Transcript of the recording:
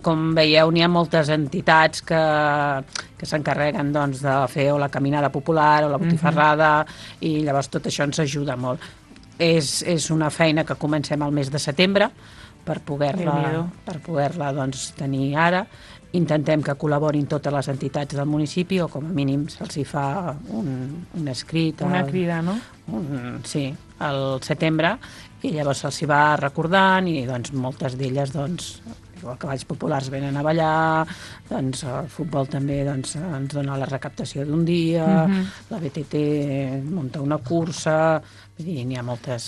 Com veieu, n'hi ha moltes entitats que s'encarreguen doncs, de fer o la caminada popular o la botifarrada, i llavors tot això ens ajuda molt. És una feina que comencem al mes de setembre per poder-la doncs, tenir ara. Intentem que col·laborin totes les entitats del municipi, o com a mínim se'ls hi fa un escrit. Una crida, no? Sí, al setembre, i llavors se'ls hi va recordant, i doncs, moltes d'elles, doncs, igual que Balls Populars venen a ballar, doncs el futbol també doncs, ens dona la recaptació d'un dia, la BTT munta una cursa, vull dir, n'hi ha moltes